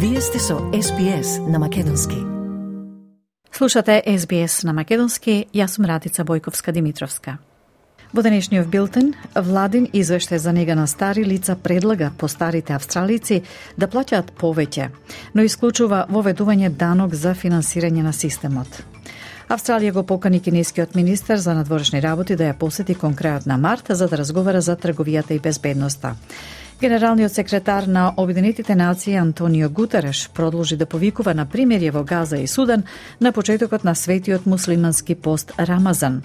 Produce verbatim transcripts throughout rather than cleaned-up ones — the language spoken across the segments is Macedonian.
Вие сте со Ес Би Ес на Македонски. Слушате Ес Би Ес на Македонски, јас сум Радица Бојковска-Димитровска. Во денешниот билтен, владин извештај за нега на стари лица предлага по старите австралици да плаќаат повеќе, но исклучува воведување данок за финансирање на системот. Австралија го покани кинескиот министер за надворешни работи да ја посети кон крајот на март за да разговара за трговијата и безбедноста. Генералниот секретар на Обединетите нации Антонио Гутереш продолжи да повикува на примирје во Газа и Судан на почетокот на светиот муслимански пост Рамазан.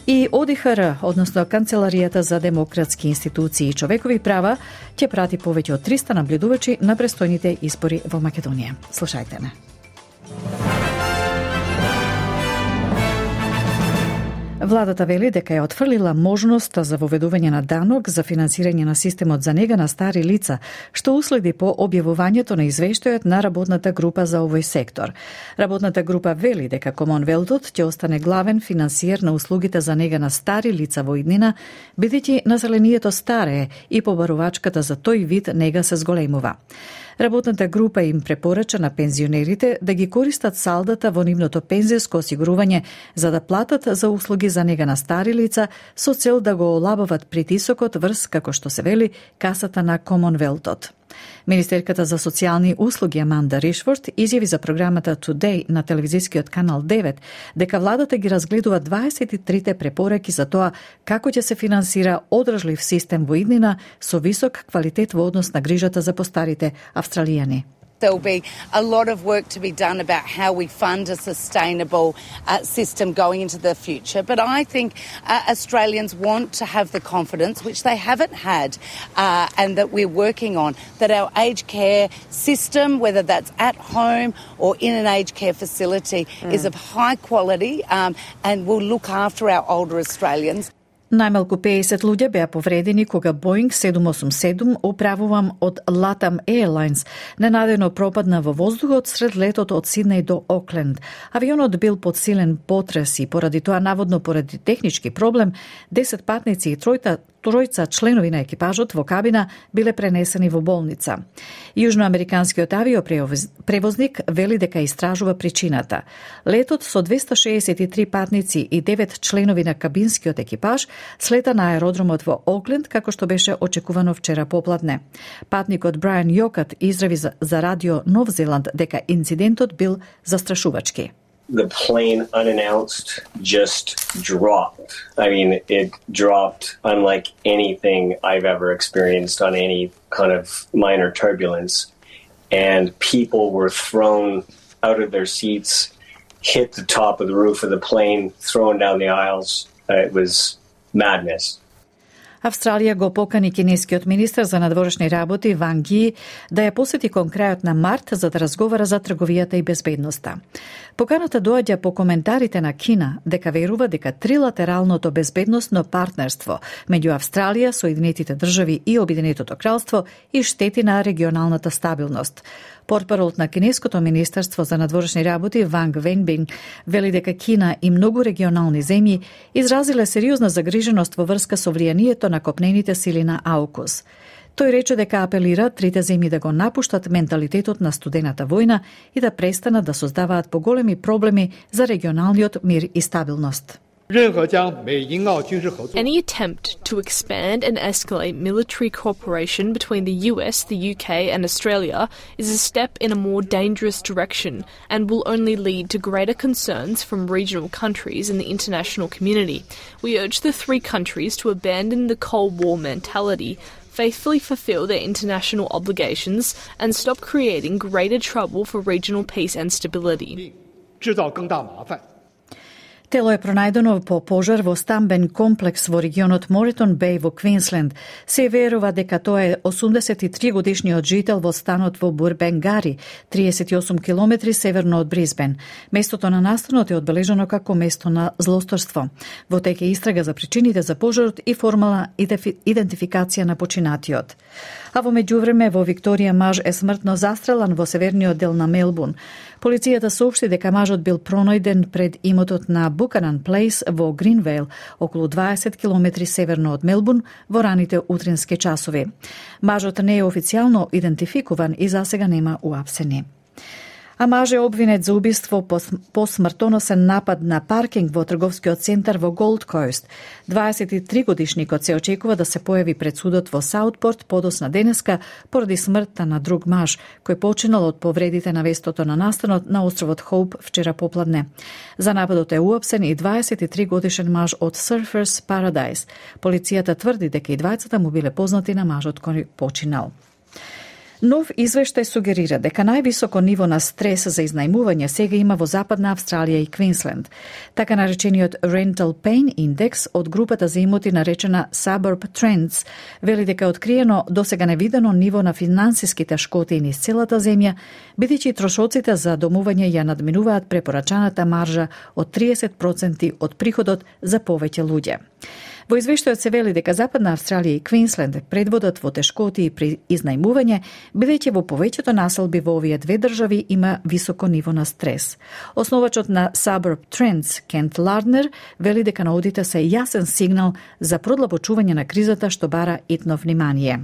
И О Ди Ха Р, односно Канцеларијата за демократски институции и човекови права, ќе прати повеќе од триста наблюдувачи на престојните избори во Македонија. Слушајте ме. Владата вели дека ја отфрлила можноста за воведување на данок за финансирање на системот за нега на стари лица, што уследи по објавувањето на извештајот на работната група за овој сектор. Работната група вели дека Комонвелтот ќе остане главен финансиер на услугите за нега на стари лица во иднина, бидејќи населението старее и побарувачката за тој вид нега се зголемува. Работната група им препорача на пензионерите да ги користат салдата во нивното пензијско осигурување за да платат за услуги за нега на стари лица со цел да го олабават притисокот врз, како што се вели, касата на Комонвелтот. Министерката за социјални услуги Аманда Ришфорд изјави за програмата Today на телевизискиот канал девет дека владата ги разгледува дваесет и трите препораки за тоа како ќе се финансира одржлив систем во иднина со висок квалитет во однос на грижата за постарите австралијани. There will be a lot of work to be done about how we fund a sustainable uh, system going into the future. But I think uh, Australians want to have the confidence, which they haven't had, uh, and that we're working on, that our aged care system, whether that's at home or in an aged care facility, mm. is of high quality um, and will look after our older Australians. Најмалку пеесет луѓе беа повредени кога Боинг седум осум седум, управуван од Latam Airlines, ненадејно пропадна во воздухот сред летот од Сиднеј до Окленд. Авионот бил под силен потрес и поради тоа, наводно поради технички проблем, десет патници и тројта тројца членови на екипажот во кабина биле пренесени во болница. Јужноамериканскиот авиопревозник вели дека истражува причината. Летот со двеста шеесет и три патници и девет членови на кабинскиот екипаж слета на аеродромот во Окленд, како што беше очекувано вчера попладне. Патникот Брайан Јокат израви за, за радио Нов Зеланд дека инцидентот бил застрашувачки. The plane unannounced just dropped. I mean, it dropped unlike anything I've ever experienced on any kind of minor turbulence. And people were thrown out of their seats, hit the top of the roof of the plane, thrown down the aisles. Uh, it was madness. Австралија го покани кинескиот министер за надворешни работи Ванг Ји да ја посети кон крајот на март за да разговара за трговијата и безбедноста. Поканата доаѓа по коментарите на Кина дека верува дека трилатералното безбедносно партнерство меѓу Австралија, Соединетите држави и Обединетото кралство и штети на регионалната стабилност. Портпаролот на Кинеското министерство за надворешни работи Ванг Венбинг вели дека Кина и многу регионални земји изразиле сериозна загриженост во врска со влијанието на копнените сили на АУКУС. Тој рече дека апелира трите земји да го напуштат менталитетот на студената војна и да престанат да создаваат поголеми проблеми за регионалниот мир и стабилност. Any attempt to expand and escalate military cooperation between the U S, the U K and Australia is a step in a more dangerous direction and will only lead to greater concerns from regional countries and the international community. We urge the three countries to abandon the Cold War mentality, faithfully fulfill their international obligations and stop creating greater trouble for regional peace and stability. Тело е пронајдено по пожар во стамбен комплекс во регионот Моретон Беј во Квинсленд. Се верува дека тоа е осумдесет и три годишниот жител во станот во Бурбенгари, триесет и осум километри северно од Брисбен. Местото на настанот е одбележано како место на злосторство. Во тек е истрага за причините за пожарот и формална идентификација на починатиот. А во меѓувреме во Викторија маж е смртно застрелан во северниот дел на Мелбурн. Полицијата соопшти дека мажот бил пронајден пред имотот на Buchanan Place во Гринвейл, околу дваесет километри северно од Мелбурн, во раните утрински часови. Мажот не е официјално идентификуван и засега нема уапсени. А маж е обвинет за убиство по, по смртоносен напад на паркинг во трговскиот центар во Голд Кост. дваесет и три годишникот се очекува да се појави пред судот во Саутпорт подосна денеска поради смртта на друг маж, кој починал од повредите на вестото на настанот на островот Хоуп вчера попладне. За нападот е уапсен и дваесет и три годишен маж од Surfers Paradise. Полицијата тврди дека и двајцата му биле познати на мажот кој починал. Нов извештај сугерира дека највисоко ниво на стрес за изнајмување сега има во Западна Австралија и Квинсленд. Така наречениот Rental Pain Index од групата за имоти наречена Suburb Trends вели дека е откриено досега невидено ниво на финансиските шкоти низ целата земја, бидејќи трошоците за домување ја надминуваат препорачаната маржа од триесет проценти од приходот за повеќе луѓе. Во извештајот се вели дека Западна Австралија и Квинсленд предводат во тешкоти при изнајмување, бидејќи во повеќето населби во овие две држави има високо ниво на стрес. Основачот на Suburb Trends, Кент Ларднер, вели дека наудите се јасен сигнал за продлабочување на кризата што бара итно внимание.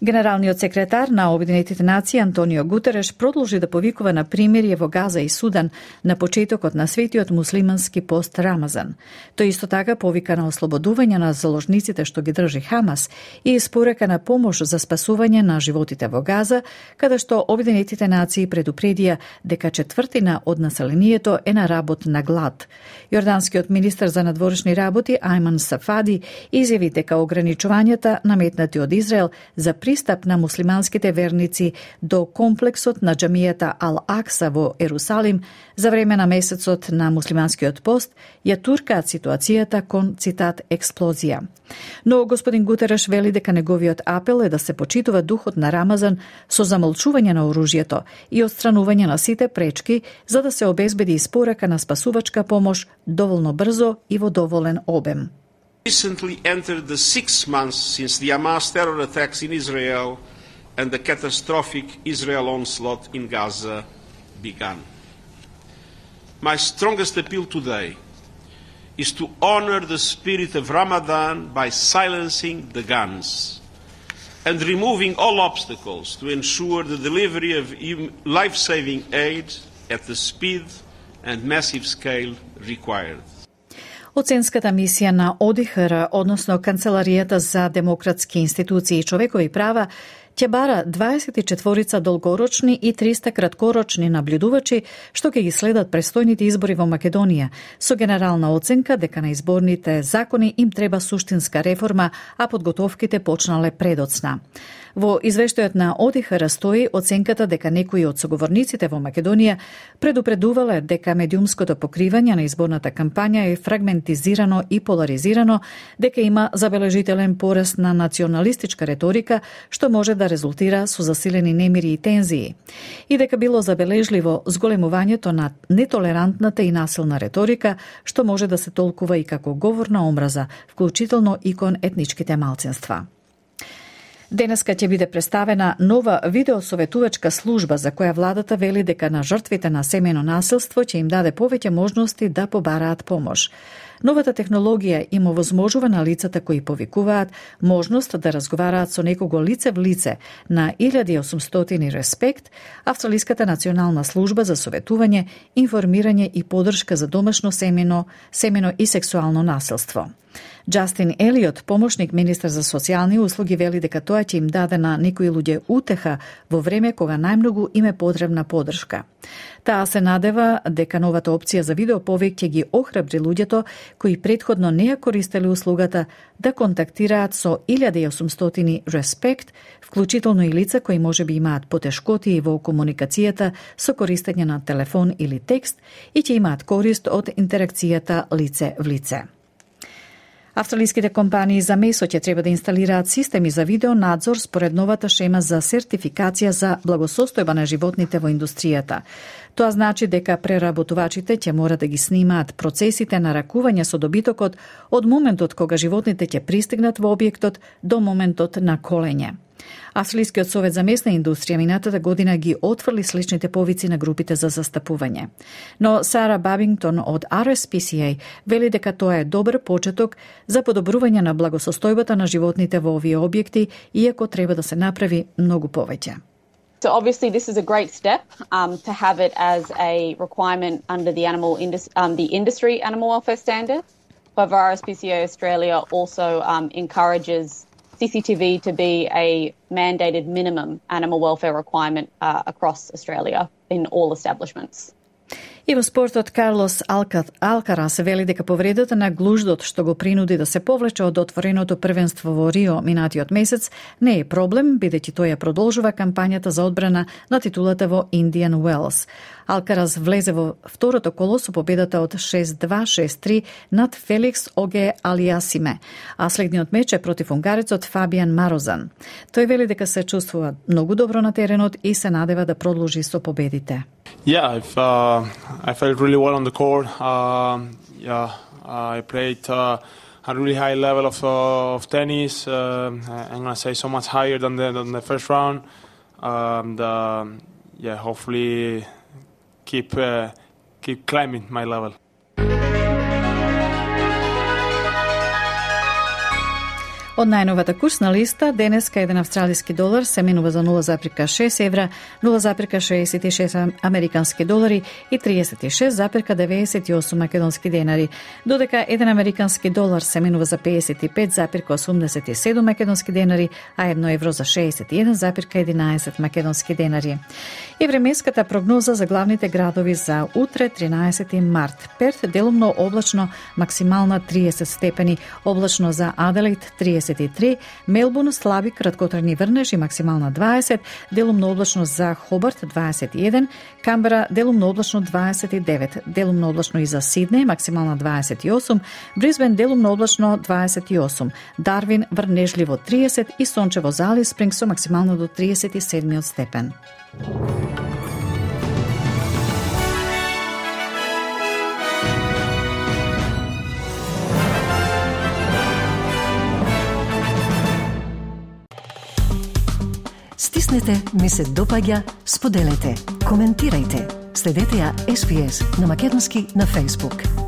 Генералниот секретар на Обединетите нации Антонио Гутереш продолжи да повикува на примирие во Газа и Судан на почетокот на светиот муслимански пост Рамазан. Тој исто така повика на ослободување на заложниците што ги држи Хамас и испорека на помош за спасување на животите во Газа, каде што Обединетите нации предупредија дека четвртина од населението е на работ на глад. Јорданскиот министер за надворешни работи Айман Сафади изјави дека ограничувањата наметнати од Израел за пристап на муслиманските верници до комплексот на џамијата Ал-Акса во Ерусалим за време на месецот на муслиманскиот пост ја туркаат ситуацијата кон, цитат, експлозија. Но господин Гутереш вели дека неговиот апел е да се почитува духот на Рамазан со замолчување на оружјето и отстранување на сите пречки за да се обезбеди испорека на спасувачка помош доволно брзо и во доволен обем. Recently entered the six months since the Hamas terror attacks in Israel and the catastrophic Israel onslaught in Gaza began. My strongest appeal today is to honor the spirit of Ramadan by silencing the guns and removing all obstacles to ensure the delivery of life-saving aid at the speed and massive scale required. Оценската мисија на О Д Х Р, односно Канцеларијата за демократски институции и човекови права, ќе бара дваесет и четворица долгорочни и триста краткорочни наблюдувачи што ќе ги следат престојните избори во Македонија, со генерална оценка дека на изборните закони им треба суштинска реформа, а подготовките почнале предоцна. Во извештајот на О Д Х Р стои оценката дека некои од соговорниците во Македонија предупредувале дека медиумското покривање на изборната кампања е фрагментизирано и поларизирано, дека има забележителен пораст на националистичка реторика, што може да резултира со засилени немири и тензии, и дека било забележливо зголемувањето на нетолерантната и насилна реторика, што може да се толкува и како говор на омраза, вклучително и кон етничките малцинства. Денеска ќе биде представена нова видеосоветувачка служба за која владата вели дека на жртвите на семејно насилство ќе им даде повеќе можности да побараат помош. Новата технологија им овозможува на лицата кои повикуваат можност да разговараат со некого лице в лице на илјада и осумстотини Респект, Австралиската национална служба за советување, информирање и поддршка за домашно семено, семено и сексуално насилство. Джастин Елиот, помошник министер за социјални услуги, вели дека тоа ќе им даде на некои луѓе утеха во време кога најмногу им е потребна поддршка. Таа се надева дека новата опција за видеоповик ќе ги охрабри луѓето кои претходно не ја користеле услугата да контактираат со илјада и осумстотини Респект, вклучително и лица кои можеби имаат потешкоти во комуникацијата со користење на телефон или текст и ќе имаат корист од интеракцијата лице в лице. Австралиските компании за месо ќе треба да инсталираат системи за видеонадзор според новата шема за сертификација за благосостојба на животните во индустријата. Тоа значи дека преработувачите ќе мора да ги снимаат процесите на ракување со добитокот од моментот кога животните ќе пристигнат во објектот до моментот на колење. Австралискиот совет за месна индустрија минатата година ги отфрли сличните повици на групите за застапување. Но Сара Бабингтон од Ар Ес Пи Си Ей вели дека тоа е добар почеток за подобрување на благосостојбата на животните во овие објекти, иако треба да се направи многу повеќе. So obviously this is a great step um, to have it as a requirement under the animal indus- um, the industry animal welfare standard. However, R S P C A Australia also um, encourages C C T V to be a mandated minimum animal welfare requirement uh, across Australia in all establishments. И во спортот Карлос Алкарас вели дека повредата на глуждот што го принуди да се повлече од отвореното првенство во Рио минатиот месец не е проблем, бидејќи тој ја продолжува кампањата за одбрана на титулата во Индиан Уелс. Алкарас влезе во второто коло со победата од шест два шест три над Феликс Оге Алиасиме, а следниот меч е против унгарецот Фабиан Марозан. Тој вели дека се чувствува многу добро на теренот и се надева да продолжи со победите. Yeah, I've, uh, I felt really well on the court. Uh, yeah, I played uh, a really high level of, uh, of tennis. Uh, I'm going to say so much higher than the, than the first round. And uh, yeah, hopefully keep uh, keep climbing my level. Од најновата курсна листа, денеска еден австралиски долар се менува за нула запирка шест евра, нула запирка шеесет и шест американски долари и триесет и шест запирка деветдесет и осум македонски денари, додека еден американски долар се менува за педесет и пет запирка осумдесет и седум македонски денари, а едно евро за шеесет и еден запирка единаесет македонски денари. И временската прогноза за главните градови за утре, тринаесети март. Перт делумно облачно, максимална триесет степени, облачно за Аделаид триесет и три, Мелбурн слаби краткотрajни врнежи максимална дваесет, делумно облачно за Хобарт дваесет и еден, Камбера делумно облачно дваесет и девет, делумно облачно и за Сиднеј максимална дваесет и осум, Брисбен делумно облачно дваесет и осум, Дарвин врнежливо триесет и сончево за Алис Спрингс со максимално до триесет и седми степен. Стиснете, ми се допаѓа, споделете, коментирајте. Следете ја Ес Би Ес на македонски на Facebook.